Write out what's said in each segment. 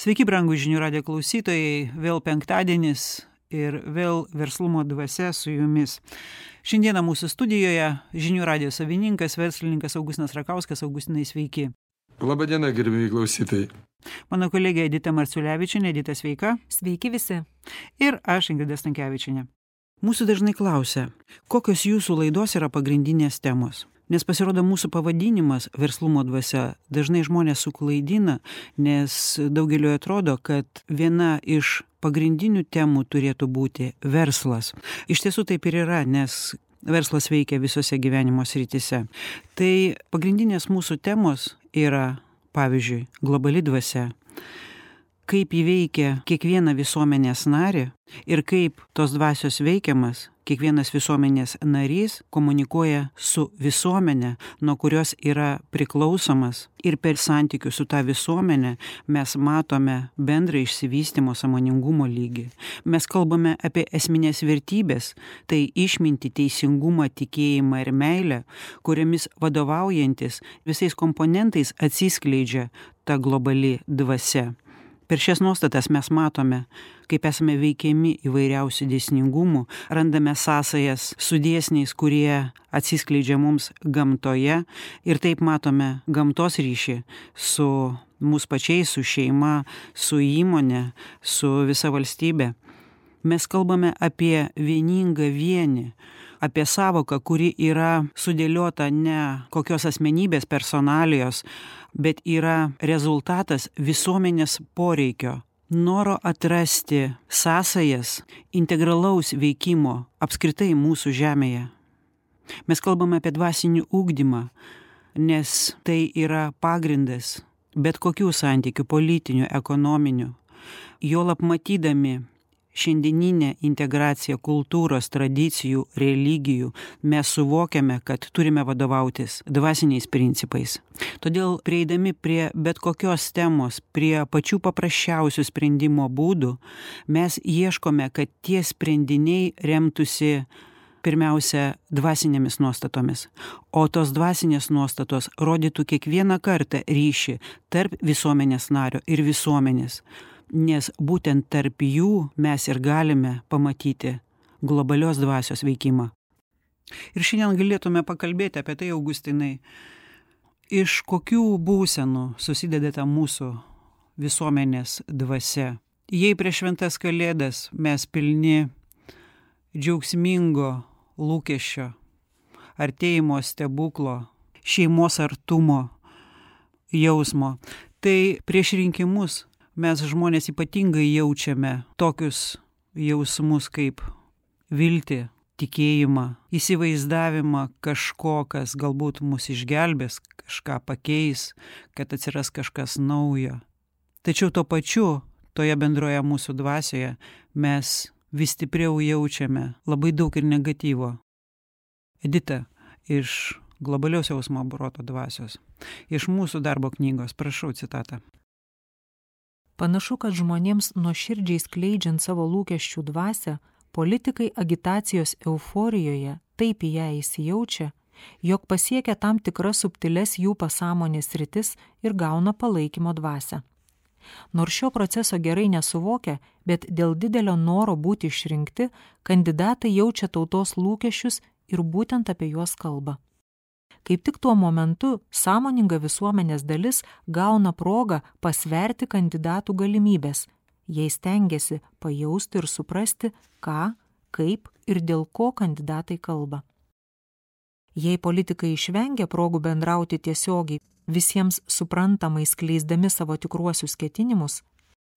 Sveiki, brangų žinių radijo klausytojai, vėl penktadienis ir vėl verslumo dvasia su jumis. Šiandieną mūsų studijoje žinių radijo savininkas, verslininkas Augustinas Rakauskas. Augustinai, sveiki. Labadiena, gerbėjai klausytojai. Mano kolegė Edita Marciulevičienė. Edita, sveika. Sveiki visi. Ir aš, Ingrida Stankevičienė. Mūsų dažnai klausia, kokios jūsų laidos yra pagrindinės temos. Nes pasirodo mūsų pavadinimas verslumo dvasia dažnai žmonės suklaidina, nes daugeliu atrodo, kad viena iš pagrindinių temų turėtų būti verslas. Iš tiesų taip ir yra, nes verslas veikia visose gyvenimo srityse. Tai pagrindinės mūsų temos yra, pavyzdžiui, globali dvasia, kaip ji veikia kiekvieną visuomenės narį ir kaip tos dvasios veikiamas kiekvienas visuomenės narys komunikuoja su visuomenė, nuo kurios yra priklausomas, ir per santykius su ta visuomenė mes matome bendrą išsivystymo sąmoningumo lygį. Mes kalbame apie esminės vertybės, tai išmintį, teisingumą, tikėjimą ir meilę, kuriamis vadovaujantis visais komponentais atsiskleidžia ta globali dvasia. Per šias nuostatas mes matome, kaip esame veikiami įvairiausių dėsningumų, randame sąsajas su dėsniais, kurie atsiskleidžia mums gamtoje, ir taip matome gamtos ryšį su mūsų pačiais, su šeima, su įmonė, su visa valstybė. Mes kalbame apie vieningą vienį, apie sąvoką, kuri yra sudėliota ne kokios asmenybės personalijos, bet yra rezultatas visuomenės poreikio, noro atrasti sąsajas integralaus veikimo apskritai mūsų žemėje. Mes kalbame apie dvasinį ugdymą, nes tai yra pagrindas bet kokių santykių, politinių, ekonominių. Juolab matydami šiandieninę integraciją kultūros, tradicijų, religijų, mes suvokiame, kad turime vadovautis dvasiniais principais. Todėl prieidami prie bet kokios temos, prie pačių paprasčiausių sprendimo būdų, mes ieškome, kad tie sprendiniai remtųsi pirmiausia dvasinėmis nuostatomis, o tos dvasinės nuostatos rodytų kiekvieną kartą ryšį tarp visuomenės nario ir visuomenės. Nes būtent tarp jų mes ir galime pamatyti globalios dvasios veikimą. Ir šiandien galėtume pakalbėti apie tai, Augustinai, iš kokių būsenų susideda ta mūsų visuomenės dvasia. Jei prieš šventas kalėdas mes pilni džiaugsmingo lūkesčio, artėjimo stebuklo, šeimos artumo jausmo, tai prieš rinkimus mes žmonės ypatingai jaučiame tokius jausmus kaip viltį, tikėjimą, įsivaizdavimą kažko, kas galbūt mus išgelbės, kažką pakeis, kad atsiras kažkas naujo. Tačiau tuo pačiu, toje bendroje mūsų dvasioje, mes vis stipriau jaučiame labai daug ir negatyvo. Edita, iš globalios jausmo proto dvasios, iš mūsų darbo knygos, prašau citatą. Panašu, kad žmonėms nuoširdžiai skleidžiant savo lūkesčių dvasią, politikai agitacijos euforijoje taip į ją įsijaučia, jog pasiekia tam tikras subtiles jų pasąmonės sritis ir gauna palaikymo dvasią. Nors šio proceso gerai nesuvokia, bet dėl didelio noro būti išrinkti, kandidatai jaučia tautos lūkesčius ir būtent apie juos kalba. Kaip tik tuo momentu sąmoninga visuomenės dalis gauna progą pasverti kandidatų galimybės. Jie stengiasi pajausti ir suprasti, ką, kaip ir dėl ko kandidatai kalba. Jei politikai išvengia progų bendrauti tiesiogiai, visiems suprantamai skleisdami savo tikruosius ketinimus,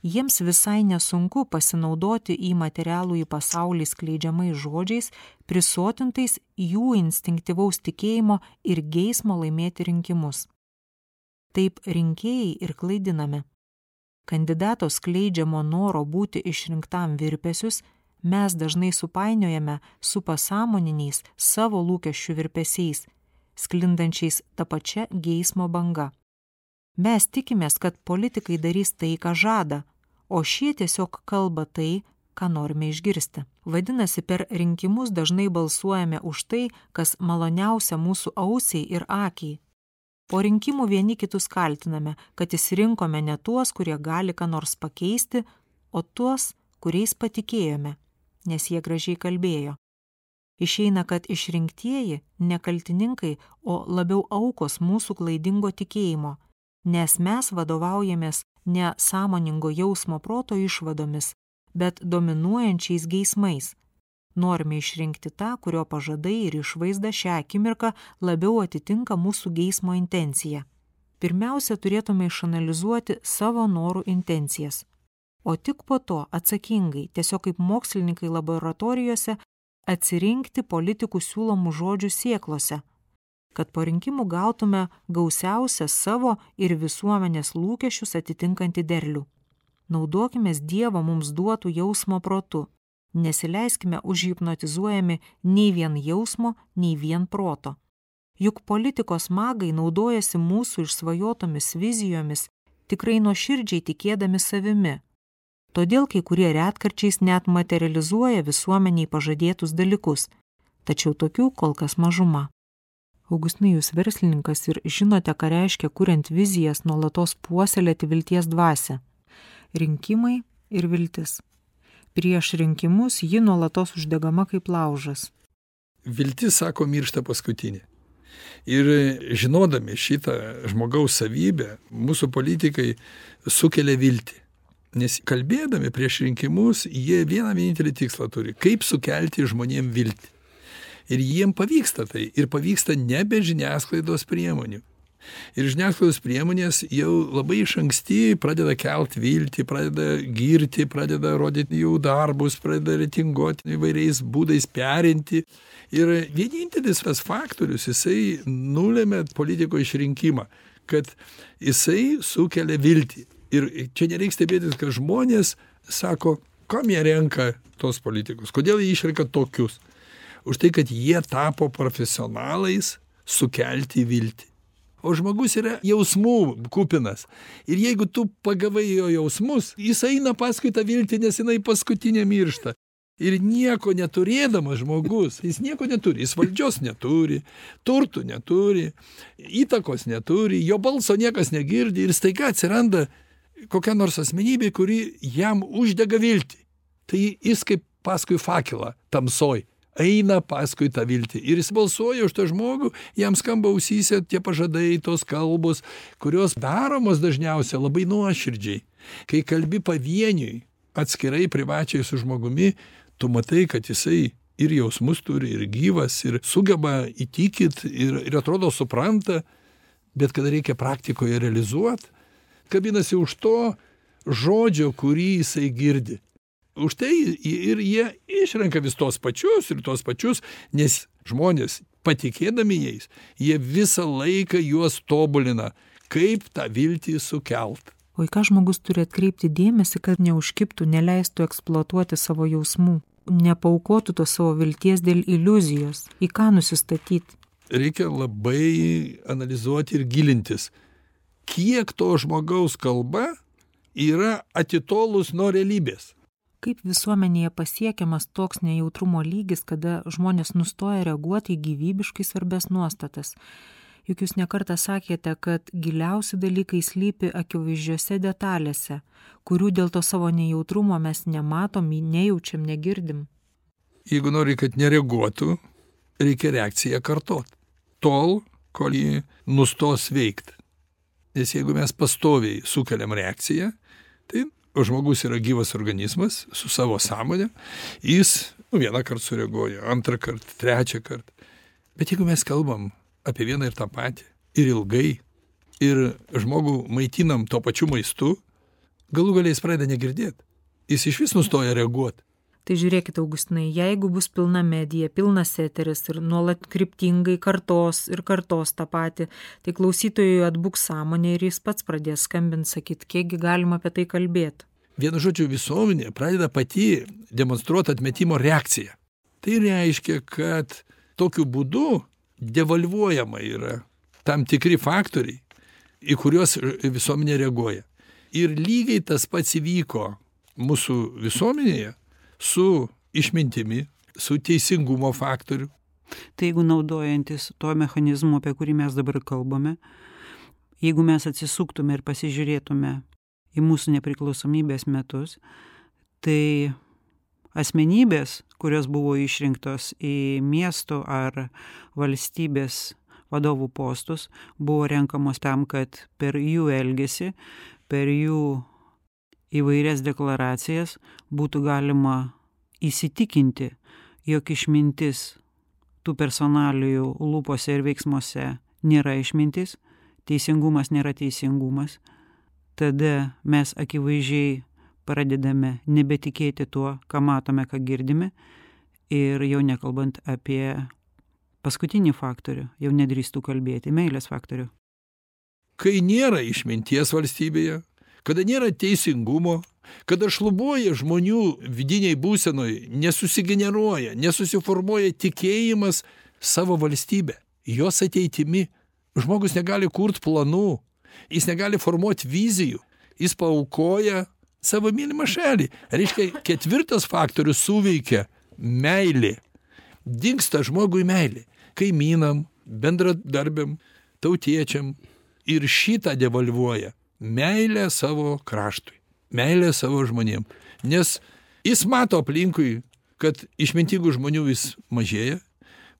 jiems visai nesunku pasinaudoti į materialų į pasaulį skleidžiamais žodžiais, prisotintais jų instinktyvaus tikėjimo ir geismo laimėti rinkimus. Taip rinkėjai ir klaidiname. Kandidato skleidžiamo noro būti išrinktam virpesius mes dažnai supainiojame su pasąmoniniais savo lūkesčių virpesiais, sklindančiais tą pačią geismo banga. Mes tikimės, kad politikai darys tai, ką žada, o šie tiesiog kalba tai, ką norime išgirsti. Vadinasi, per rinkimus dažnai balsuojame už tai, kas maloniausia mūsų ausiai ir akiai. Po rinkimų vieni kitus kaltiname, kad išsirinkome ne tuos, kurie gali ką nors pakeisti, o tuos, kuriais patikėjome, nes jie gražiai kalbėjo. Išeina, kad išrinktieji ne kaltininkai, o labiau aukos mūsų klaidingo tikėjimo, nes mes vadovaujamės ne sąmoningo jausmo proto išvadomis, bet dominuojančiais geismais. Norime išrinkti tą, kurio pažadai ir išvaizda šią akimirką labiau atitinka mūsų geismo intenciją. Pirmiausia, turėtume išanalizuoti savo norų intencijas, o tik po to atsakingai, tiesiog kaip mokslininkai laboratorijose, atsirinkti politikų siūlomų žodžių sėklose, kad po rinkimų gautume gausiausią savo ir visuomenės lūkesčius atitinkantį derlių. Naudokimės Dievo mums duotų jausmo protu. Nesileiskime užhipnotizuojami nei vien jausmo, nei vien proto. Juk politikos magai naudojasi mūsų išsvajotomis vizijomis, tikrai nuoširdžiai tikėdami savimi. Todėl kai kurie retkarčiais net materializuoja visuomeniai pažadėtus dalykus, tačiau tokių kol kas mažuma. Augustinai, jūs verslininkas ir žinote, ką reiškia, kuriant vizijas, nuolatos puoselėti vilties dvasią. Rinkimai ir viltis. Prieš rinkimus ji nuolatos uždegama kaip laužas. Viltis, sako, miršta paskutinė. Ir žinodami šitą žmogaus savybę, mūsų politikai sukelia viltį. Nes kalbėdami prieš rinkimus, jie vieną vienintelį tikslą turi, kaip sukelti žmonėm viltį. Ir jiem pavyksta tai, ir pavyksta ne be žiniasklaidos priemonių. Ir žiniasklaidos priemonės jau labai iš anksti pradeda kelt viltį, pradeda girti, pradeda rodyti jų darbus, pradeda reitinguoti įvairiais būdais, perinti. Ir vienintelis tas faktorius, jisai nulėmė politiko išrinkimą, kad jisai sukelia viltį. Ir čia nereikia stebėtis, kad žmonės sako, kam jie renka tos politikus, kodėl jie išrenka tokius. Už tai, kad jie tapo profesionalais sukelti viltį. O žmogus yra jausmų kupinas. Ir jeigu tu pagavai jo jausmus, jis eina paskui tą viltį, nes jinai paskutinė miršta. Ir nieko neturėdamas žmogus, jis nieko neturi, jis valdžios neturi, turtų neturi, įtakos neturi, jo balso niekas negirdi ir staiga atsiranda kokia nors asmenybė, kuri jam uždega viltį. Tai jis kaip paskui fakelą tamsoj. Eina paskui tą viltį. Ir jis balsuoja už tą žmogų, jam skamba ausyse tie pažadai, tos kalbos, kurios daromos dažniausiai labai nuoširdžiai. Kai kalbi pavieniui, atskirai privačiai su žmogumi, tu matai, kad jisai ir jausmus turi, ir gyvas, ir sugeba įtikit, ir atrodo supranta, bet kada reikia praktikoje realizuoti, kabinasi už to žodžio, kurį jisai girdi. Už tai ir jie išrenka vis tos pačius, nes žmonės, patikėdami jais, jie visą laiką juos tobulina, kaip tą viltį sukelt. O į ką žmogus turi atkreipti dėmesį, kad neužkibtų, neleistų eksploatuoti savo jausmų, nepaukotų to savo vilties dėl iliuzijos, į ką nusistatyti? Reikia labai analizuoti ir gilintis, kiek to žmogaus kalba yra atitolus nuo realybės. Kaip visuomenėje pasiekiamas toks nejautrumo lygis, kada žmonės nustoja reaguoti į gyvybiškai svarbes nuostatas? Juk jūs nekartą sakėte, kad giliausi dalykai slypi akivaizdžiose detalėse, kurių dėl to savo nejautrumo mes nematom, nejaučiam, negirdim. Jeigu nori, kad nereaguotų, reikia reakciją kartot. Tol, kol ji nustos veikti. Nes jeigu mes pastoviai sukeliam reakciją, tai žmogus yra gyvas organizmas su savo sąmonė, jis vieną kartą sureaguoja, antrą kartą, trečią kartą. Bet jeigu mes kalbam apie vieną ir tą patį, ir ilgai, ir žmogų maitinam to pačiu maistu, galų galiai jis pradeda negirdėti. Jis iš vis nustoja reaguoti. Tai žiūrėkite, Augustinai, jeigu bus pilna medija, pilnas eteris ir nuolat kryptingai kartos tą patį, tai klausytojui atbuks sąmonė ir jis pats pradės skambinti, sakyti, kiekgi galima apie tai kalbėti. Vienu žodžiu, visuomenė pradeda pati demonstruoti atmetimo reakciją. Tai reiškia, kad tokiu būdu devalvuojama yra tam tikri faktoriai, į kuriuos visuomenė reaguoja. Ir lygiai tas pats įvyko mūsų visuomenėje su išmintimi, su teisingumo faktoriu. Tai jeigu naudojantis tuo mechanizmu, apie kurį mes dabar kalbame, Jeigu mes atsisuktume ir pasižiūrėtume į mūsų nepriklausomybės metus, tai asmenybės, kurios buvo išrinktos į miestų ar valstybės vadovų postus, buvo renkamos tam, kad per jų elgesį, per jų įvairias deklaracijas būtų galima įsitikinti, jog išmintis tų personalijų lūpose ir veiksmuose nėra išmintis, teisingumas nėra teisingumas. Tada mes akivaizdžiai pradedame nebetikėti tuo, ką matome, ką girdime, ir jau nekalbant apie paskutinį faktorių, jau nedrįstų kalbėti, meilės faktorių. Kai nėra išminties valstybėje, kada nėra teisingumo, kada šlubuoja žmonių vidiniai būsenoj, nesusigeneruoja, nesusiformuoja tikėjimas savo valstybę, jos ateitimi. Žmogus negali kurt planų, jis negali formuoti vizijų, jis paaukoja savo mylimą šalį. Reiškia, ketvirtas faktorius suveikia meilė. Dingsta žmogui meilė. Kaimynam, bendradarbiam, tautiečiam. Ir šitą devalvuoja meilę savo kraštui, meilę savo žmonėm. Nes jis mato aplinkui, kad išmintingų žmonių vis mažėja,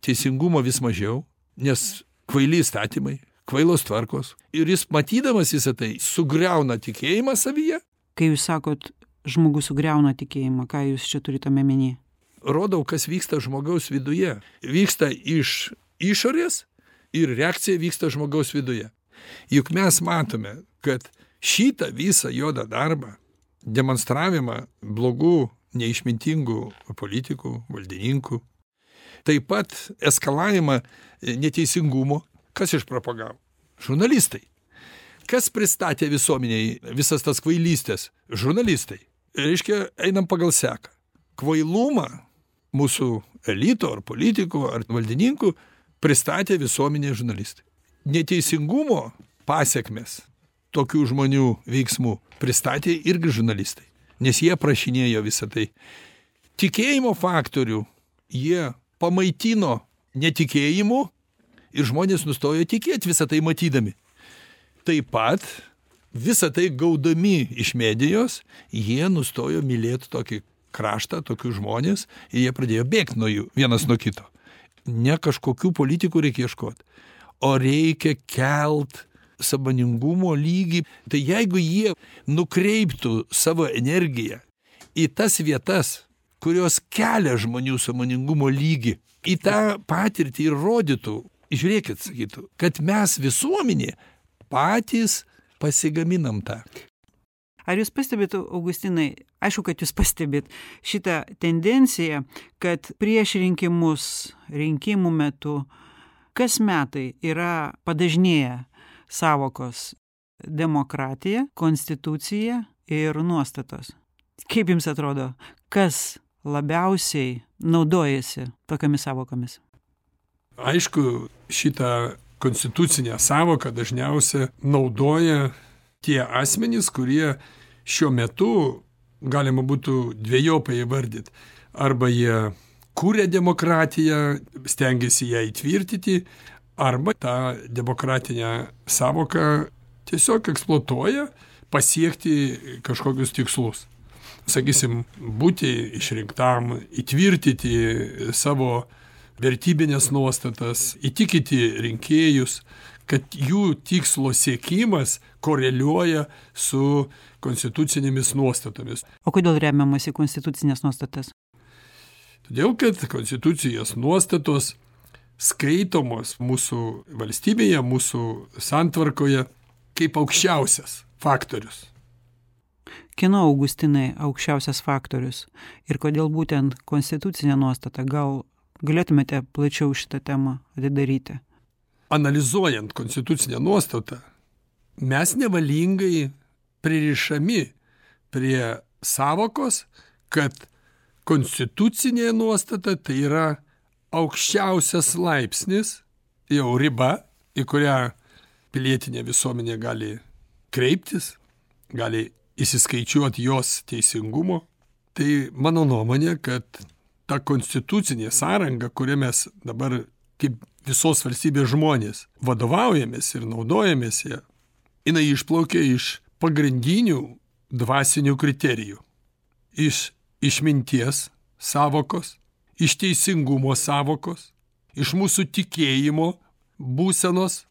teisingumo vis mažiau, nes kvaili įstatymai, kvailos tvarkos. Ir jis matydamas visą tai sugriauna tikėjimą savyje. Kai jūs sakot, žmogus sugriauna tikėjimą, ką jūs čia turite omeny? Rodau, kas vyksta žmogaus viduje. Vyksta iš išorės ir reakcija vyksta žmogaus viduje. Juk mes matome, kad šitą visą juodą darbą, demonstravimą blogų, neišmintingų politikų, valdininkų, taip pat eskalavimą neteisingumo, kas išpropagavo? Žurnalistai. Kas pristatė visuomeniai visas tas kvailystės? Žurnalistai. Reiškia, einam pagal seką. Kvailumą mūsų elito ar politikų ar valdininkų pristatė visuomenė žurnalistai. Neteisingumo pasiekmes tokių žmonių veiksmų pristatė irgi žurnalistai, nes jie prašinėjo visą tai. Tikėjimo faktorių jie pamaitino netikėjimu ir žmonės nustojo tikėti visą tai matydami. Taip pat visą tai gaudami iš medijos, jie nustojo mylėti tokį kraštą, tokius žmonės ir jie pradėjo bėgti nuo jų vienas nuo kito. Ne kažkokių politikų reikia ieškoti, o reikia kelt sąmoningumo lygį. Tai jeigu jie nukreiptų savo energiją į tas vietas, kurios kelia žmonių sąmoningumo lygį, į tą patirtį ir rodytų, žiūrėkit, sakytų, kad mes visuomenė patys pasigaminam tą. Ar jūs pastebėt, Augustinai, aišku, kad jūs pastebėt šitą tendenciją, kad prieš rinkimus, rinkimų metu, kas metai yra padažnėję sąvokos demokratija, konstitucija ir nuostatos. Kaip jums atrodo, kas labiausiai naudojasi tokiamis sąvokomis? Aišku, šitą konstitucinę sąvoką dažniausiai naudoja tie asmenys, kurie šiuo metu galima būtų dvejopai įvardyti. Arba jie kūrė demokratiją, stengiasi ją įtvirtinti, arba tą demokratinę sąvoką tiesiog eksploatuoja pasiekti kažkokius tikslus. Sakysim, būti išrinktam, įtvirtinti savo vertybinės nuostatas, įtikinti rinkėjus, kad jų tikslo siekimas koreliuoja su konstitucinėmis nuostatomis. O kodėl remiamas į konstitucinės nuostatas? Todėl, kad konstitucijos nuostatos skaitomos mūsų valstybėje, mūsų santvarkoje kaip aukščiausias faktorius. Kieno, Augustinai, aukščiausias faktorius ir kodėl būtent konstitucinė nuostata? Gal galėtumėte plačiau šitą temą atidaryti? Analizuojant konstitucinę nuostatą, mes nevalingai pririšami prie sąvokos, kad konstitucinė nuostata tai yra aukščiausias laipsnis, jau riba, į kurią pilietinė visuomenė gali kreiptis, gali įsiskaičiuoti jos teisingumo. Tai mano nuomonė, kad ta konstitucinė sąranga, kurią mes dabar kaip visos valstybės žmonės vadovaujamės ir naudojamės ją, jinai išplaukia iš pagrindinių dvasinių kriterijų. Iš išminties savokos, iš teisingumo savokos, iš mūsų tikėjimo būsenos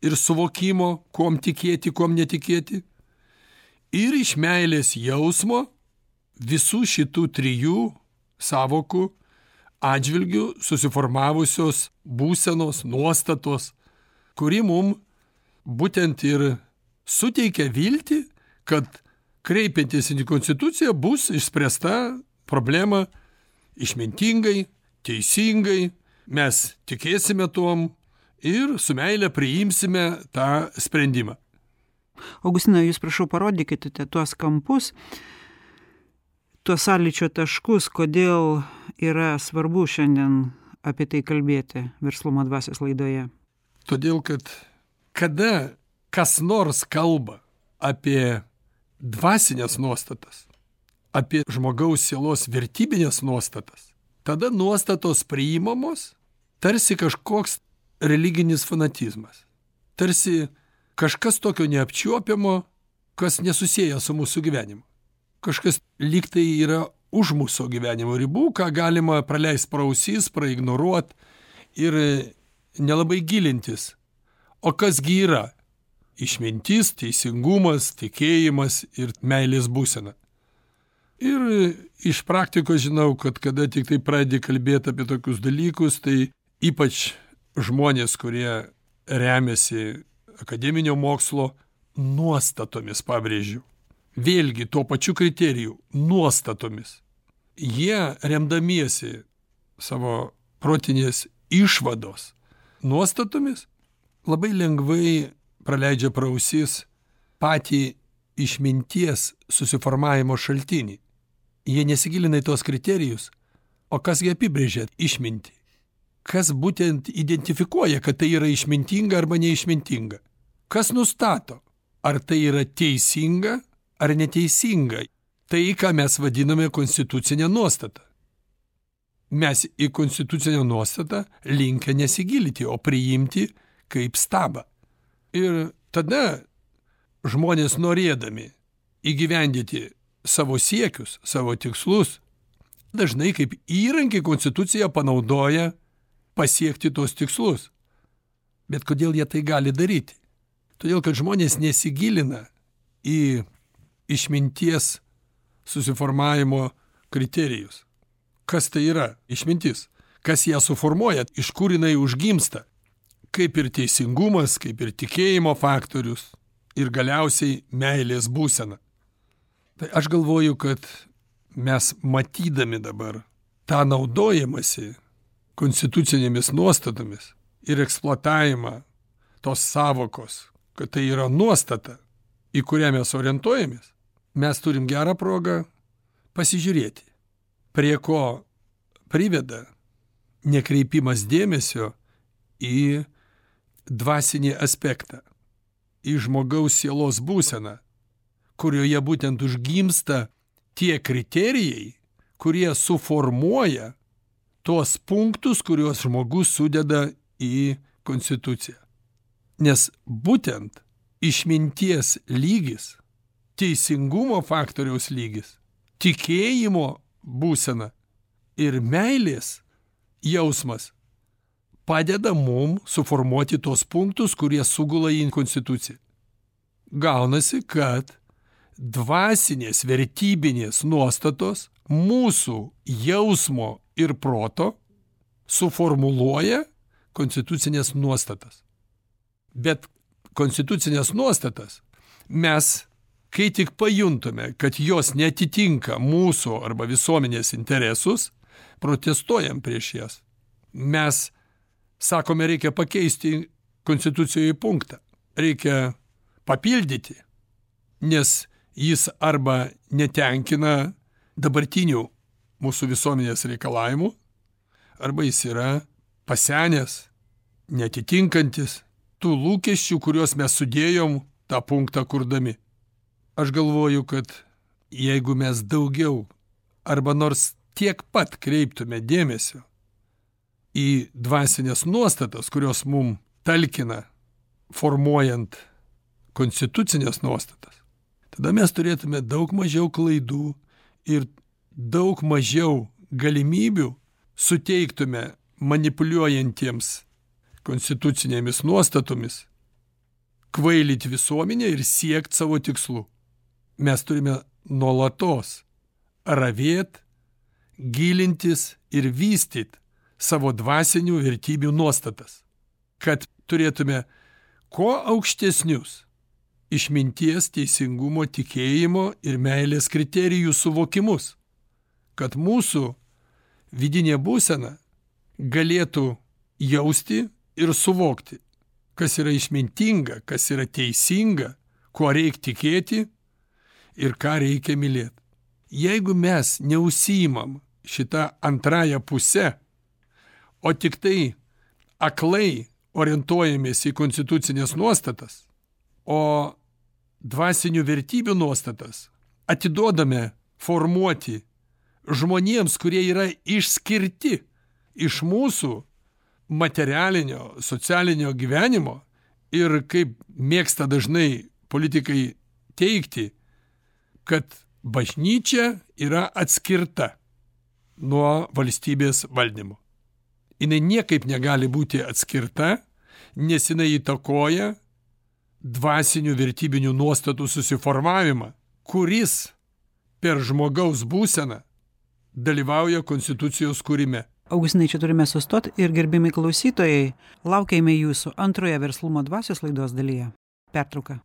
ir suvokimo, kuom tikėti, kuom netikėti, ir iš meilės jausmo visų šitų trijų savokų atžvilgių susiformavusios būsenos, nuostatos, kuri mum būtent ir suteikia viltį, kad kreipiantis į konstituciją bus išspręsta problema išmintingai, teisingai, mes tikėsime tuom ir su meile priimsime tą sprendimą. Augustinai, jūs prašau parodykite tuos kampus, tuos sąlyčio taškus, kodėl yra svarbu šiandien apie tai kalbėti Verslumo dvasios laidoje. Todėl, kad kada kas nors kalba apie dvasinės nuostatas, apie žmogaus sielos vertybinės nuostatas, tada nuostatos priimamos tarsi kažkoks religinis fanatizmas. Tarsi kažkas tokio neapčiuopiamo, kas nesusieja su mūsų gyvenimu. Kažkas lyg tai yra už mūsų gyvenimo ribų, ką galima praleisti pro ausis, praignoruoti ir nelabai gilintis. O kasgi yra? Išmintis, teisingumas, tikėjimas ir meilės būsena. Ir iš praktikos žinau, kad kada tik tai pradedi kalbėti apie tokius dalykus, tai ypač žmonės, kurie remiasi akademinio mokslo nuostatomis, pabrėžiu. Vėlgi tuo pačiu kriteriju nuostatomis. Jie remdamiesi savo protinės išvados nuostatomis labai lengvai praleidžia pro ausis patį išminties susiformavimo šaltinį. Jie nesigilina į tos kriterijus, o kasgi apibrėžia išmintį. Kas būtent identifikuoja, kad tai yra išmintinga arba neišmintinga. Kas nustato, ar tai yra teisinga ar neteisinga. Tai, ką mes vadiname konstitucinė nuostata. Mes į konstitucinę nuostatą linkę nesigilinti, o priimti kaip stabą. Ir tada žmonės norėdami įgyvendyti savo siekius, savo tikslus, dažnai kaip įrankį konstituciją panaudoja pasiekti tos tikslus. Bet kodėl jie tai gali daryti? Todėl, kad žmonės nesigilina į išminties susiformavimo kriterijus. Kas tai yra išmintis? Kas ją suformuoja? Iš kur jinai užgimsta? Kaip ir teisingumas, kaip ir tikėjimo faktorius ir galiausiai meilės būsena. Tai aš galvoju, kad mes matydami dabar tą naudojimąsi konstitucinėmis nuostatomis ir eksploatavimą tos savokos, kad tai yra nuostata, į kurią mes orientuojamės, mes turim gerą progą pasižiūrėti, prie ko priveda nekreipimas dėmesio į dvasinį aspektą, į žmogaus sielos būseną, kurioje būtent užgimsta tie kriterijai, kurie suformuoja tuos punktus, kuriuos žmogus sudeda į konstituciją. Nes būtent išminties lygis, teisingumo faktoriaus lygis, tikėjimo būsena ir meilės jausmas padeda mum suformuoti tos punktus, kurie sugula į konstituciją. Gaunasi, kad dvasinės vertybinės nuostatos mūsų jausmo ir proto suformuluoja konstitucinės nuostatas. Bet konstitucinės nuostatas mes, kai tik pajuntume, kad jos netitinka mūsų arba visuomenės interesus, protestuojam prieš jas. Mes sakome, reikia pakeisti konstitucijoje punktą, reikia papildyti, nes jis arba netenkina dabartinių mūsų visuomenės reikalavimų, arba jis yra pasenęs, netitinkantis tų lūkesčių, kuriuos mes sudėjom tą punktą kurdami. Aš galvoju, kad jeigu mes daugiau arba nors tiek pat kreiptume dėmesio į dvasinės nuostatas, kurios mum talkina formuojant konstitucinės nuostatas, tada mes turėtume daug mažiau klaidų ir daug mažiau galimybių suteiktume manipuliuojantiems konstitucinėmis nuostatomis kvailyt visuomenę ir siekt savo tikslų. Mes turime nuolatos ravėt, gilintis ir vystyt savo dvasinių vertybių nuostatas, kad turėtume kuo aukštesnius išminties, teisingumo, tikėjimo ir meilės kriterijų suvokimus, kad mūsų vidinė būsena galėtų jausti ir suvokti, kas yra išmintinga, kas yra teisinga, kuo reikia tikėti ir ką reikia mylėti. Jeigu mes neužsiimam šitą antrąją pusę, o tik tai aklai orientuojamės į konstitucinės nuostatas, o dvasinių vertybių nuostatas atiduodame formuoti žmonėms, kurie yra išskirti iš mūsų materialinio, socialinio gyvenimo ir kaip mėgsta dažnai politikai teigti, kad bažnyčia yra atskirta nuo valstybės valdymo. Jinai niekaip negali būti atskirta, nes jinai įtakoja dvasinių vertybinių nuostatų susiformavimą, kuris per žmogaus būseną dalyvauja konstitucijos kūrime. Augustinai, čia turime sustoti ir gerbiami klausytojai, laukiame jūsų antroje Verslumo dvasios laidos dalyje. Pertrauka.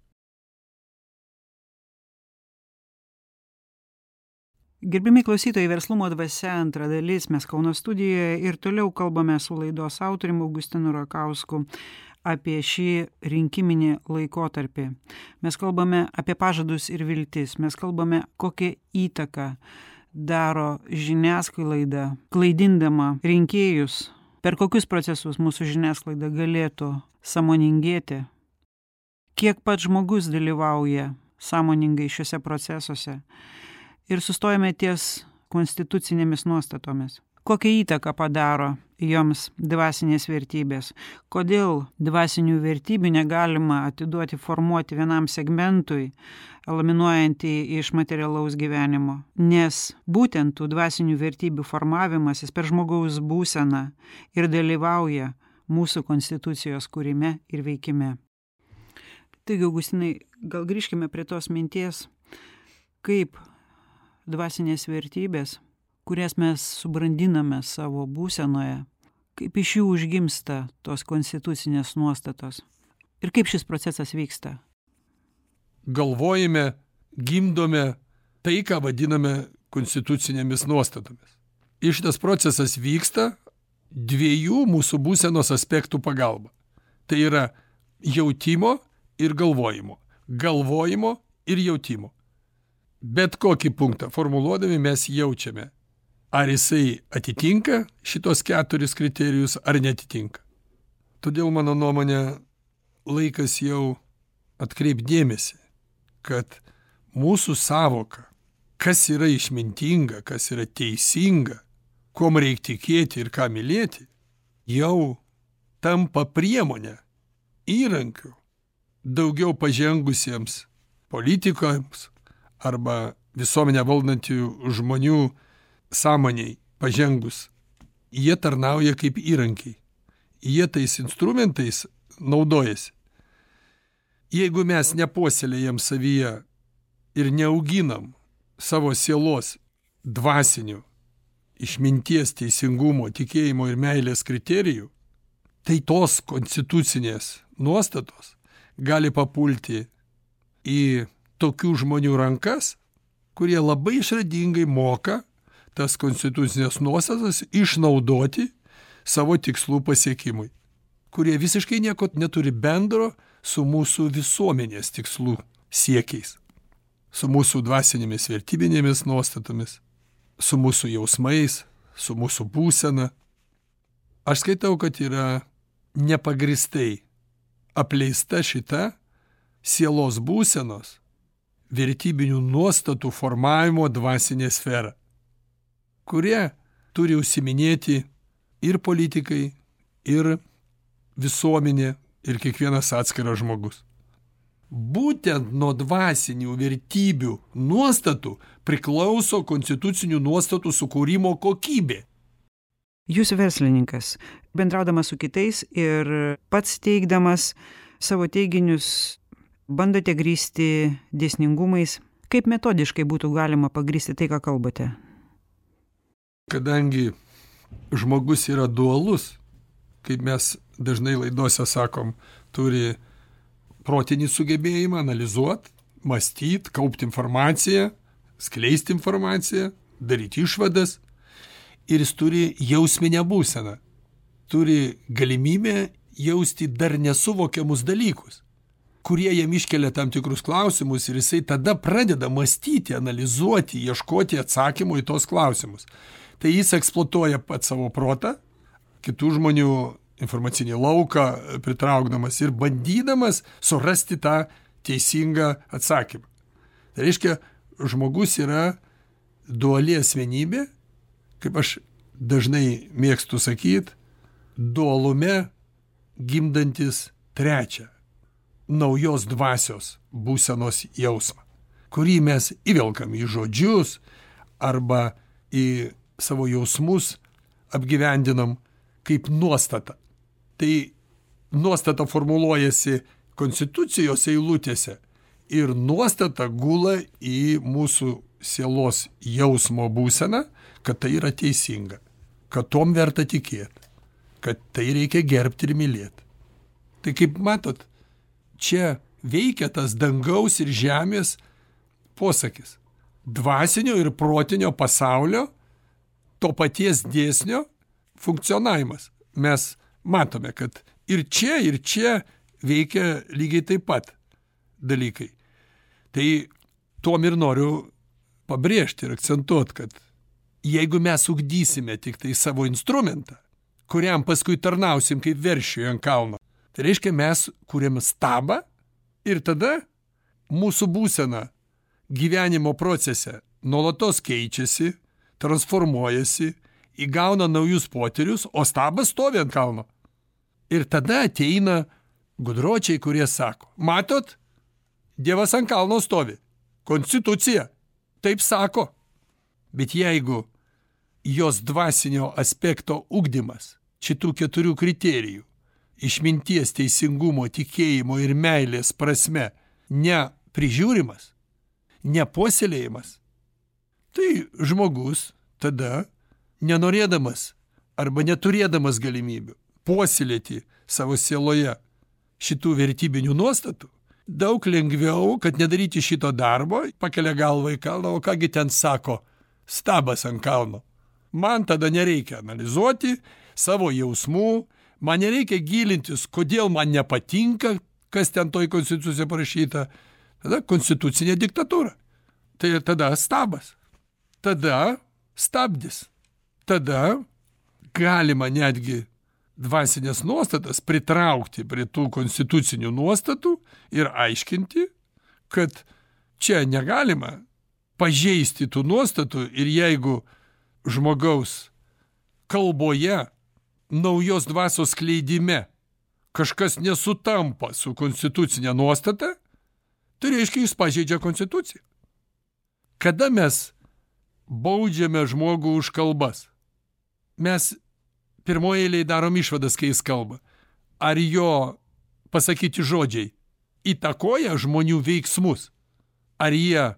Gerbiami klausytojai, Verslumo dvasia antra dalis, mes Kauno studijoje ir toliau kalbame su laidos autoriumi Augustinu Rakausku apie šį rinkiminį laikotarpį. Mes kalbame apie pažadus ir viltis, mes kalbame, kokią įtaką daro žiniasklaida, klaidindama rinkėjus, per kokius procesus mūsų žiniasklaida galėtų sąmoningėti, kiek pats žmogus dalyvauja sąmoningai šiuose procesuose. Ir sustojame ties konstitucinėmis nuostatomis. Kokią įtaką padaro joms dvasinės vertybės? Kodėl dvasinių vertybių negalima atiduoti formuoti vienam segmentui, eliminuojant iš materialaus gyvenimo? Nes būtent tų dvasinių vertybių formavimasis per žmogaus būseną ir dalyvauja mūsų konstitucijos kūrime ir veikime. Taigi, Augustinai, gal grįžkime prie tos minties, kaip dvasinės vertybės, kurias mes subrandiname savo būsenoje, kaip iš jų užgimsta tos konstitucinės nuostatos ir kaip šis procesas vyksta. Galvojame, gimdome tai, ką vadiname konstitucinėmis nuostatomis. Ir šitas procesas vyksta dviejų mūsų būsenos aspektų pagalba. Tai yra jautimo ir galvojimo. Galvojimo ir jautimo. Bet kokį punktą formuluodami mes jaučiame, ar jisai atitinka šitos 4 kriterijus ar netitinka. Todėl mano nuomonė laikas jau atkreipdėmėsi, kad mūsų savoka, kas yra išmintinga, kas yra teisinga, kuom reikia tikėti ir ką mylėti, jau tampa priemonė, įrankiu daugiau pažengusiems politikams arba visuomenę valdančių žmonių sąmoniai pažengus. Jie tarnauja kaip įrankiai. Jie tais instrumentais naudojasi. Jeigu mes nepuoselėjam savyje ir neauginam savo sielos dvasinių, išminties, teisingumo, tikėjimo ir meilės kriterijų, tai tos konstitucinės nuostatos gali papulti į tokių žmonių rankas, kurie labai išradingai moka tas konstitucinės nuostatas išnaudoti savo tikslų pasiekimui, kurie visiškai nieko neturi bendro su mūsų visuomenės tikslų siekiais, su mūsų dvasinėmis vertybinėmis nuostatomis, su mūsų jausmais, su mūsų būsena. Aš skaitau, kad yra nepagristai apleista šita sielos būsenos vertybinių nuostatų formavimo dvasinė sfera, kurie turi užsiminėti ir politikai, ir visuomenė, ir kiekvienas atskiras žmogus. Būtent nuo dvasinių vertybių nuostatų priklauso konstitucinių nuostatų sukūrimo kokybė. Jūs verslininkas, bendraudamas su kitais ir pats teigdamas savo teiginius, bandote grįsti dėsningumais. Kaip metodiškai būtų galima pagrįsti tai, ką kalbate? Kadangi žmogus yra dualus, kaip mes dažnai laidose sakom, turi protinį sugebėjimą analizuoti, mąstyti, kaupti informaciją, skleisti informaciją, daryti išvadas. Ir jis turi jausminę būseną, turi galimybę jausti dar nesuvokiamus dalykus, kurie jam iškelia tam tikrus klausimus ir jisai tada pradeda mąstyti, analizuoti, ieškoti atsakymų į tos klausimus. Tai jis eksploatuoja pat savo protą, kitų žmonių informacinį lauką pritraukdamas ir bandydamas surasti tą teisingą atsakymą. Tai reiškia, žmogus yra duali asmenybė, kaip aš dažnai mėgstu sakyti, dualume gimdantis trečią, naujos dvasios būsenos jausmą, kurį mes įvelkam į žodžius arba į savo jausmus apgyvendinam kaip nuostatą. Tai nuostata formuluojasi konstitucijos eilutėse ir nuostata gula į mūsų sielos jausmo būseną, kad tai yra teisinga, kad tom verta tikėti, kad tai reikia gerbti ir mylėti. Tai kaip matot, čia veikia tas dangaus ir žemės posakis. Dvasinio ir protinio pasaulio to paties dėsnio funkcionavimas. Mes matome, kad ir čia veikia lygiai taip pat dalykai. Tai tuom ir noriu pabrėžti ir akcentuoti, kad jeigu mes ugdysime tik tai savo instrumentą, kuriam paskui tarnausim kaip veršiui ant kalno, tai reiškia mes kuriam stabą ir tada mūsų būsena gyvenimo procese nuolatos keičiasi, transformuojasi, įgauna naujus potyrius, o stabas stovi ant kalno. Ir tada ateina gudročiai, kurie sako, matot, Dievas ant kalno stovi, konstitucija, taip sako. Bet jeigu jos dvasinio aspekto ugdymas, šitų 4 kriterijų, išminties, teisingumo, tikėjimo ir meilės prasme, neprižiūrimas, nepuoselėjimas, tai žmogus tada, nenorėdamas arba neturėdamas galimybių puoselėti savo sieloje šitų vertybinių nuostatų, daug lengviau, kad nedaryti šito darbo, pakelia galvą į kalną, o kągi ten sako, stabas ant kalno. Man tada nereikia analizuoti savo jausmų, man nereikia gilintis, kodėl man nepatinka, kas ten toj konstitucijoje parašyta. Tada konstitucinė diktatūra. Tai tada stabas. Tada stabdis. Tada galima netgi dvasinės nuostatas pritraukti prie tų konstitucinių nuostatų ir aiškinti, kad čia negalima pažeisti tų nuostatų ir jeigu žmogaus kalboje, naujos dvasios skleidime kažkas nesutampa su konstitucinė nuostata, tai reiškia jis pažeidžia konstituciją. Kada mes baudžiame žmogų už kalbas, mes pirmoje eilėje darom išvadas, kai jis kalba. Ar jo pasakyti žodžiai įtakoja žmonių veiksmus? Ar jie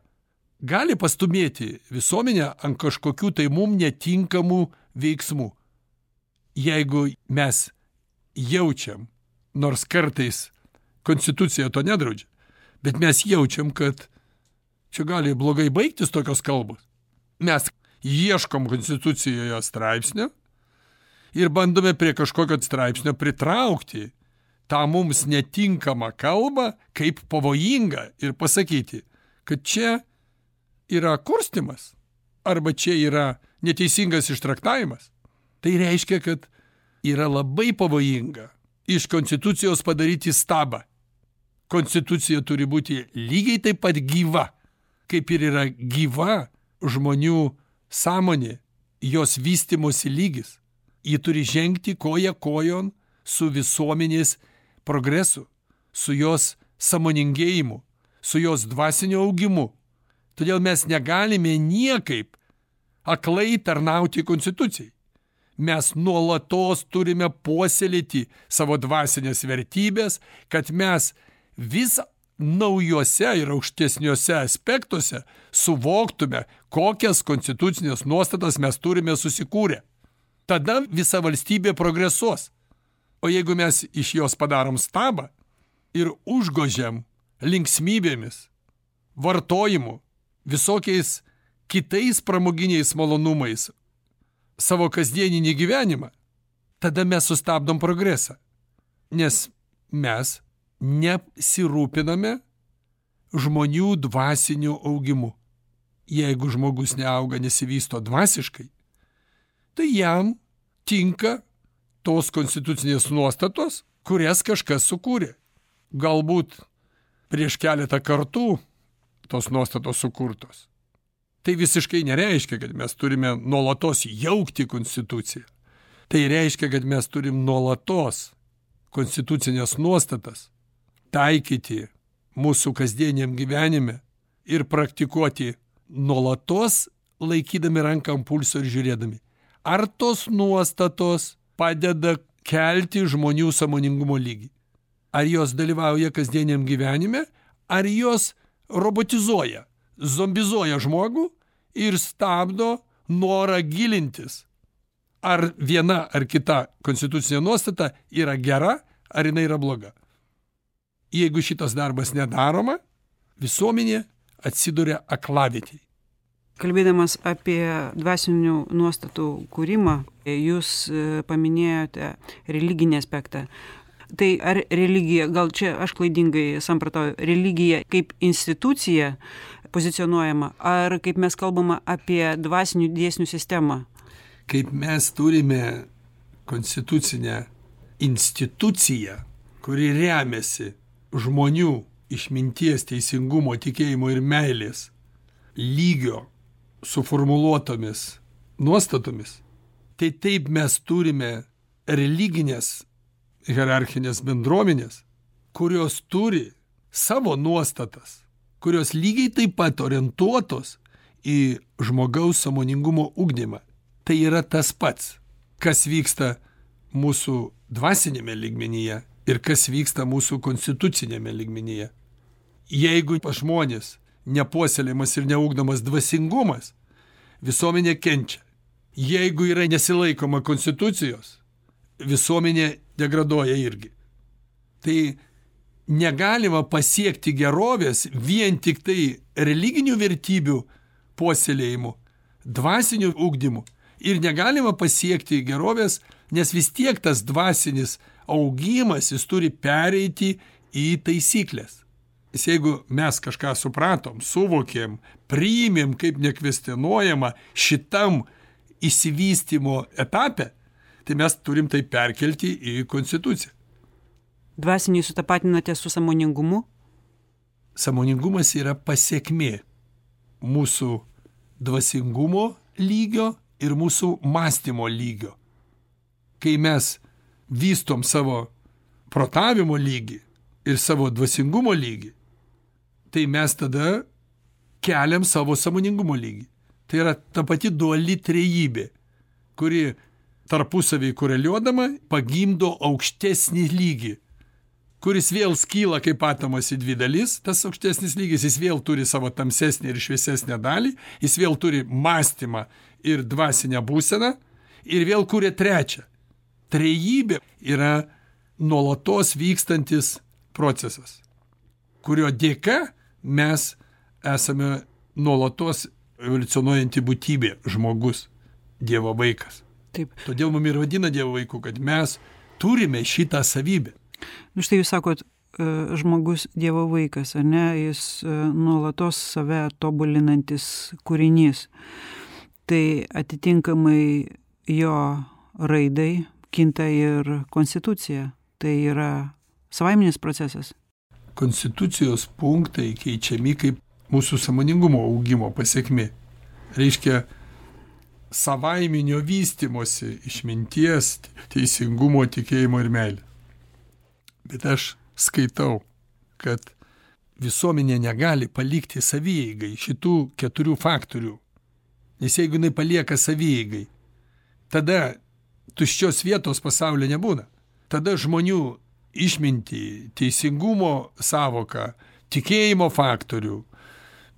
gali pastumėti visuomenę ant kažkokių tai mum netinkamų veiksmų? Jeigu mes jaučiam, nors kartais konstitucija to nedraudžia, bet mes jaučiam, kad čia gali blogai baigtis tokios kalbos. Mes ieškom konstitucijoje straipsnio ir bandome prie kažkokio straipsnio pritraukti tą mums netinkamą kalbą kaip pavojingą ir pasakyti, kad čia yra kurstimas arba čia yra neteisingas ištraktavimas. Tai reiškia, kad yra labai pavojinga iš konstitucijos padaryti stabą. Konstitucija turi būti lygiai taip pat gyva, kaip ir yra gyva žmonių sąmonė, jos vystymosi lygis. Ji turi žengti koja kojon su visuomenės progresu, su jos sąmoningėjimu, su jos dvasiniu augimu. Todėl mes negalime niekaip aklai tarnauti konstitucijai. Mes nuolatos turime puoselėti savo dvasinės vertybės, kad mes vis naujuose ir aukštesniuose aspektuose suvoktume, kokias konstitucinės nuostatas mes turime susikūrę. Tada visa valstybė progresuos. O jeigu mes iš jos padarom stabą ir užgožiam linksmybėmis, vartojimu, visokiais kitais pramoginiais malonumais savo kasdieninį gyvenimą, tada mes sustabdom progresą. Nes mes nesirūpiname žmonių dvasiniu augimu. Jeigu žmogus neauga, nesivysto dvasiškai, tai jam tinka tos konstitucinės nuostatos, kurias kažkas sukūrė. Galbūt prieš keletą kartų tos nuostatos sukurtos. Tai visiškai nereiškia, kad mes turime nuolatos jaukti konstituciją. Tai reiškia, kad mes turim nuolatos konstitucinės nuostatas taikyti mūsų kasdieniam gyvenime ir praktikuoti nuolatos laikydami ranką ant pulso ir žiūrėdami. Ar tos nuostatos padeda kelti žmonių sąmoningumo lygį? Ar jos dalyvauja kasdieniam gyvenime, ar jos robotizuoja, zombizuoja žmogų ir stabdo norą gilintis. Ar viena ar kita konstitucinė nuostata yra gera, ar jinai yra bloga. Jeigu šitas darbas nedaroma, visuomenė atsiduria aklavietėje. Kalbėdamas apie dvasinių nuostatų kūrimą, jūs paminėjote religinį aspektą. Tai ar religija, gal čia aš klaidingai samprotauju, religija kaip institucija pozicionuojama, ar kaip mes kalbame apie dvasinių dėsnių sistemą? Kaip mes turime konstitucinę instituciją, kuri remiasi žmonių išminties, teisingumo, tikėjimo ir meilės lygio suformuluotomis nuostatomis, tai taip mes turime religinės hierarchinės bendruomenės, kurios turi savo nuostatas, kurios lygiai taip pat orientuotos į žmogaus sąmoningumo ugdymą. Tai yra tas pats, kas vyksta mūsų dvasinėme lygmenyje ir kas vyksta mūsų konstitucinėme lygmenyje. Jeigu pas žmonės nepuoselėjimas ir neugdomas dvasingumas, visuomenė kenčia. Jeigu yra nesilaikoma konstitucijos, visuomenė degraduoja irgi. Tai negalima pasiekti gerovės vien tik tai religinių vertybių puoselėjimu, dvasiniu ugdymu. Ir negalima pasiekti gerovės, nes vis tiek tas dvasinis augimas, jis turi pereiti į taisyklės. Nes jeigu mes kažką supratom, suvokėm, priimėm kaip nekvestionuojama šitam išsivystymo etape, tai mes turim tai perkelti į konstituciją. Dvasiniai sutapatinate su sąmoningumu? Sąmoningumas yra pasekmė mūsų dvasingumo lygio ir mūsų mąstymo lygio. Kai mes vystom savo protavimo lygį ir savo dvasingumo lygį, tai mes tada keliam savo sąmoningumo lygį. Tai yra ta pati duali trejybė, kuri tarpusavį koreliuodama pagimdo aukštesnį lygį, kuris vėl skyla kaip atomas į dvi dalis. Tas aukštesnis lygis, jis vėl turi savo tamsesnį ir šviesesnę dalį, jis vėl turi mąstymą ir dvasinę būseną ir vėl kuria trečią. Trejybė yra nuolatos vykstantis procesas, kurio dėka mes esame nuolatos evoliucionuojanti būtybė, žmogus, Dievo vaikas. Taip. Todėl mums ir vadina Dievo vaiku, kad mes turime šitą savybę. Štai jūs sakot, žmogus Dievo vaikas, ar ne, jis nuolatos save tobulinantis kūrinys. Tai atitinkamai jo raidai kinta ir konstitucija. Tai yra savaiminis procesas. Konstitucijos punktai keičiami kaip mūsų sąmoningumo augimo pasekmė. Reiškia, savaiminio vystymosi išminties, teisingumo, tikėjimo ir meilės. Bet aš skaitau kad visuomenė negali palikti savieigai šitų 4 faktorių. Nes jeigu jinai palieka savieigai, tada tuščios vietos pasaulyje nebūna. Tada žmonių išmintį, teisingumo savoką, tikėjimo faktorių,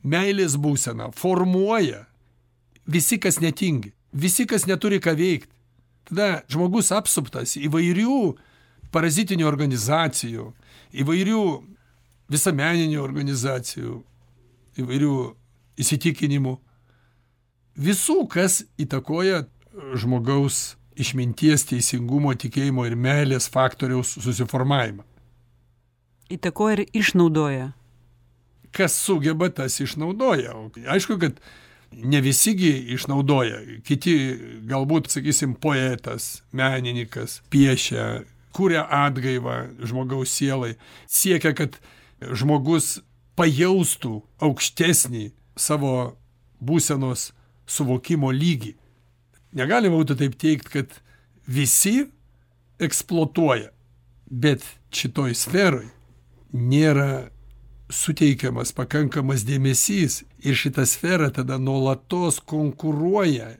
meilės būseną formuoja visi, kas netingi, visi, kas neturi ką veikti. Tada žmogus apsuptas įvairių parazitinių organizacijų, įvairių visuomeninių organizacijų, įvairių įsitikinimų. Visų, kas įtakoja žmogaus išminties, teisingumo, tikėjimo ir meilės faktoriaus susiformavimą. Įtakoja ir išnaudoja. Kas sugeba, tas išnaudoja. Aišku, kad ne visigi išnaudoja. Kiti galbūt, sakysim, poetas, menininkas, piešia, kuria atgaivą žmogaus sielai, siekia, kad žmogus pajaustų aukštesnį savo būsenos suvokimo lygį. Negalima būtų taip teikti, kad visi eksploatuoja, bet šitoj sferoj nėra suteikiamas pakankamas dėmesys ir šita sfera tada nuolatos konkuruoja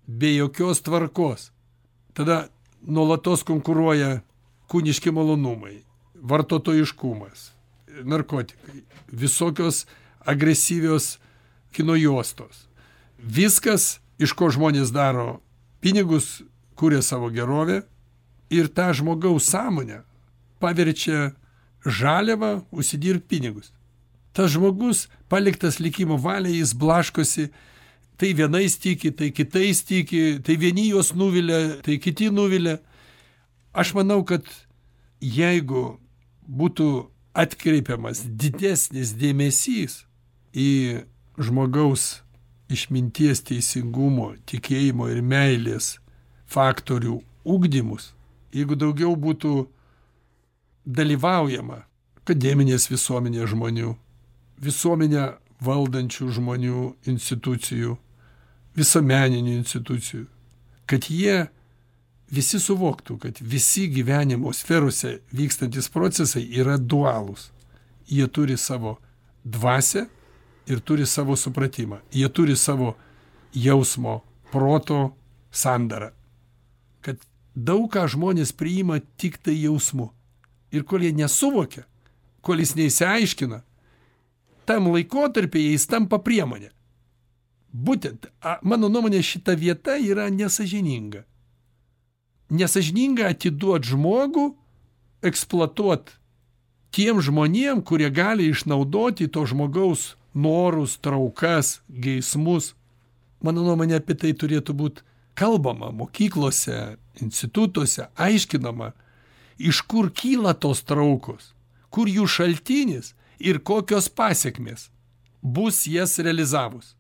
be jokios tvarkos. Tada nuolatos konkuruoja kūniški malonumai, vartotojiškumas, narkotikai, visokios agresyvios kino juostos. Viskas, iš ko žmonės daro pinigus, kuria savo gerovę ir tą žmogaus sąmonę paverčia žaliavą užsidirbt pinigus. Tas žmogus paliktas likimo valiai, jis blaškosi, tai vienais tiki, tai kitais tiki, tai vieni juos nuvilia, tai kiti nuvilia. Aš manau, kad jeigu būtų atkreipiamas didesnis dėmesys į žmogaus išminties, teisingumo, tikėjimo ir meilės faktorių ugdymus, jeigu daugiau būtų dalyvaujama akademinės visuomenės žmonių, visuomenę valdančių žmonių institucijų, visuomeninių institucijų, kad jie visi suvoktų, kad visi gyvenimo sferose vykstantis procesai yra dualūs. Jie turi savo dvasią ir turi savo supratimą. Jie turi savo jausmo, proto sandarą. Kad daug ką žmonės priima tik tai jausmu. Ir kol jie nesuvokia, kol jis neįsiaiškina, tam laikotarpyje jis tampa priemonė. Būtent, mano nuomonė, šita vieta yra nesažininga. Nesažininga atiduoti žmogų, eksploatuoti tiem žmonėm, kurie gali išnaudoti to žmogaus norus, traukas, geismus. Mano nuomonė, apie tai turėtų būti kalbama mokyklose, institutuose, aiškinama, iš kur kyla tos traukos, kur jų šaltinis ir kokios pasiekmės bus jas realizavus.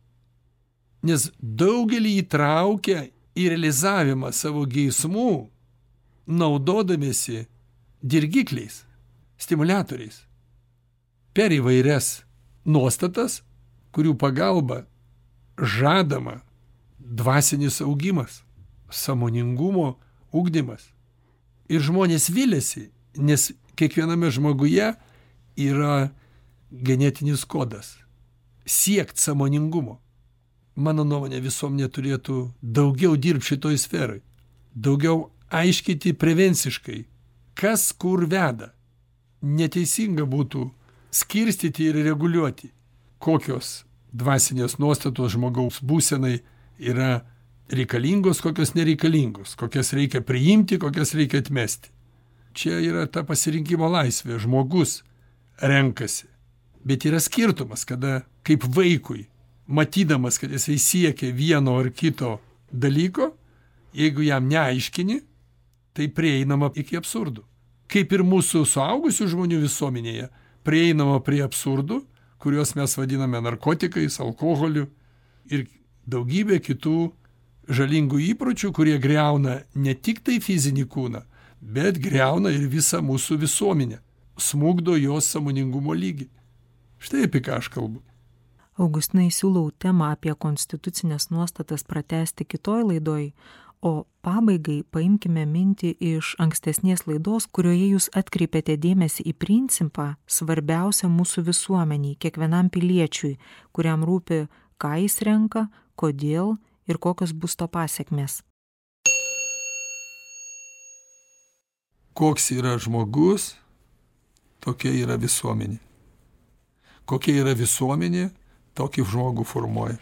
Nes daugelį įtraukia į realizavimą savo geismų, naudodamiesi dirgikliais, stimuliatoriais, per įvairias nuostatas, kurių pagalba žadama dvasinis augimas, sąmoningumo ugdymas. Ir žmonės viliasi, nes kiekviename žmoguje yra genetinis kodas siekt sąmoningumo. Mano nuomonė, visuomenė turėtų daugiau dirbti šitoj sferai, daugiau aiškiti prevenciškai, kas kur veda. Neteisinga būtų skirstyti ir reguliuoti, kokios dvasinės nuostatos žmogaus būsenai yra reikalingos, kokios nereikalingos, kokias reikia priimti, kokias reikia atmesti. Čia yra ta pasirinkimo laisvė, žmogus renkasi. Bet yra skirtumas, kada kaip vaikui, matydamas, kad jisai siekia vieno ar kito dalyko, jeigu jam neaiškini, tai prieinama iki absurdų. Kaip ir mūsų suaugusių žmonių visuomenėje, prieinama prie absurdų, kuriuos mes vadiname narkotikais, alkoholiu ir daugybė kitų žalingų įpročių, kurie griauna ne tik tai fizinį kūną, bet griauna ir visą mūsų visuomenę, smugdo jos sąmoningumo lygį. Štai apie ką aš kalbu. Augustinai, siūlau temą apie konstitucinės nuostatas pratęsti kitoj laidoj, O pabaigai paimkime mintį iš ankstesnės laidos, kurioje jūs atkreipėte dėmesį į principą svarbiausią mūsų visuomeniai, kiekvienam piliečiui, kuriam rūpi, ką jis renka, kodėl ir kokios bus to pasekmės. Koks yra žmogus, tokia yra visuomenė. Kokia yra visuomenė, tokį žmogų formuoja.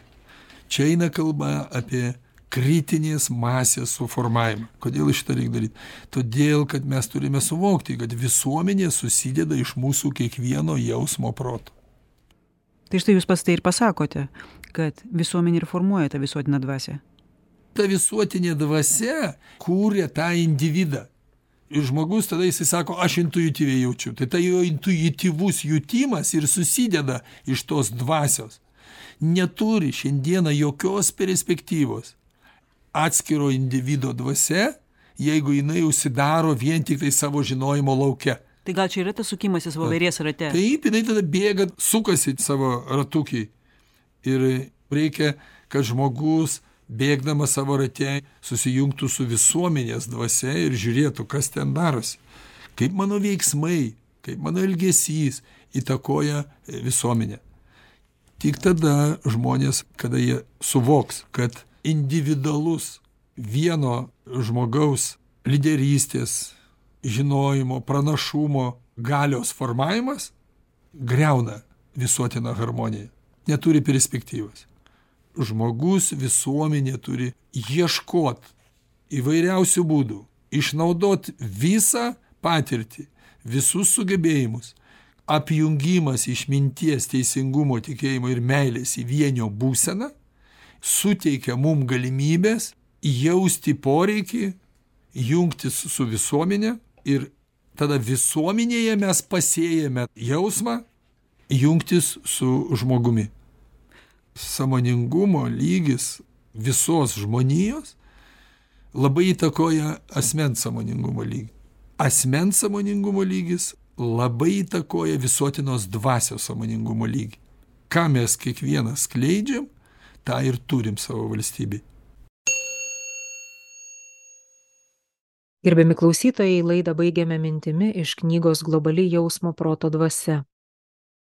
Čia eina kalba apie kritinės masės suformavimą. Kodėl šitą reikia daryti? Todėl, kad mes turime suvokti, kad visuomenė susideda iš mūsų kiekvieno jausmo proto. Tai štai jūs pats tai ir pasakote, kad visuomenė ir formuoja tą visuotinę dvasią. Ta visuotinė dvasia kūrė tą individą. Ir žmogus tada jisai sako, aš intuityviai jaučiu. Tai ta jo intuityvus jutimas ir susideda iš tos dvasios. Neturi šiandieną jokios perspektyvos atskiro individo dvasia, jeigu jinai užsidaro vien tik tai savo žinojimo lauke. Tai gal čia yra tas sukimasis voverės rate? Taip, jinai tada bėga, sukasi savo ratukiai. Ir reikia, kad žmogus bėgdamas savo rate susijungtų su visuomenės dvasia ir žiūrėtų, kas ten darosi. Kaip mano veiksmai, kaip mano elgesys įtakoja visuomenę. Tik tada žmonės, kada jie suvoks, kad individualus vieno žmogaus lyderystės, žinojimo, pranašumo, galios formavimas griauna visuotiną harmoniją. Neturi perspektyvos. Žmogus, visuomenė turi ieškoti įvairiausių būdų, išnaudoti visą patirtį, visus sugebėjimus. Apjungimas išminties, teisingumo, tikėjimo ir meilės į vienio būseną suteikia mum galimybės jausti poreikį, jungtis su visuomenė ir tada visuomenėje mes pasėjame jausmą jungtis su žmogumi. Sąmoningumo lygis visos žmonijos labai įtakoja asmens sąmoningumo lygį. Asmens sąmoningumo lygis labai įtakoja visuotinos dvasios sąmoningumo lygį. Ką mes kiekvienas skleidžiam, tą ir turim savo valstybėje. Gerbiami klausytojai, laidą baigiame mintimi iš knygos Globali jausmo proto dvasia.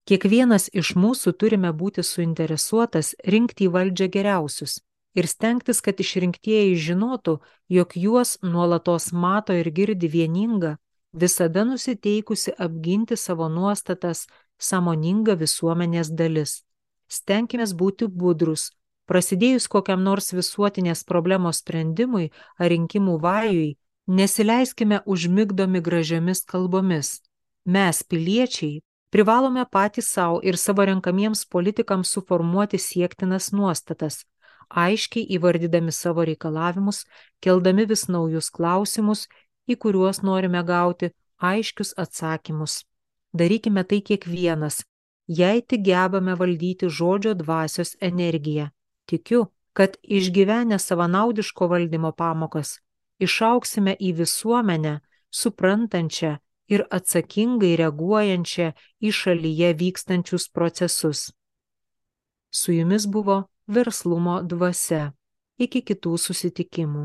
Kiekvienas iš mūsų turime būti suinteresuotas rinkti į valdžią geriausius ir stengtis, kad išrinktieji žinotų, jog juos nuolatos mato ir girdi vieninga, visada nusiteikusi apginti savo nuostatas sąmoninga visuomenės dalis. Stenkimės būti budrus, prasidėjus kokiam nors visuotinės problemos sprendimui ar rinkimų vajui, nesileiskime užmigdomi gražiomis kalbomis. Mes, piliečiai, privalome patys savo ir savo renkamiems politikams suformuoti siektinas nuostatas, aiškiai įvardydami savo reikalavimus, keldami vis naujus klausimus, į kuriuos norime gauti aiškius atsakymus. Darykime tai kiekvienas, jei tik gebame valdyti žodžio dvasios energiją. Tikiu, kad išgyvenę savanaudiško valdymo pamokas, išaugsime į visuomenę, suprantančią ir atsakingai reaguojančią į šalyje vykstančius procesus. Su jumis buvo Verslumo dvasia. Iki kitų susitikimų.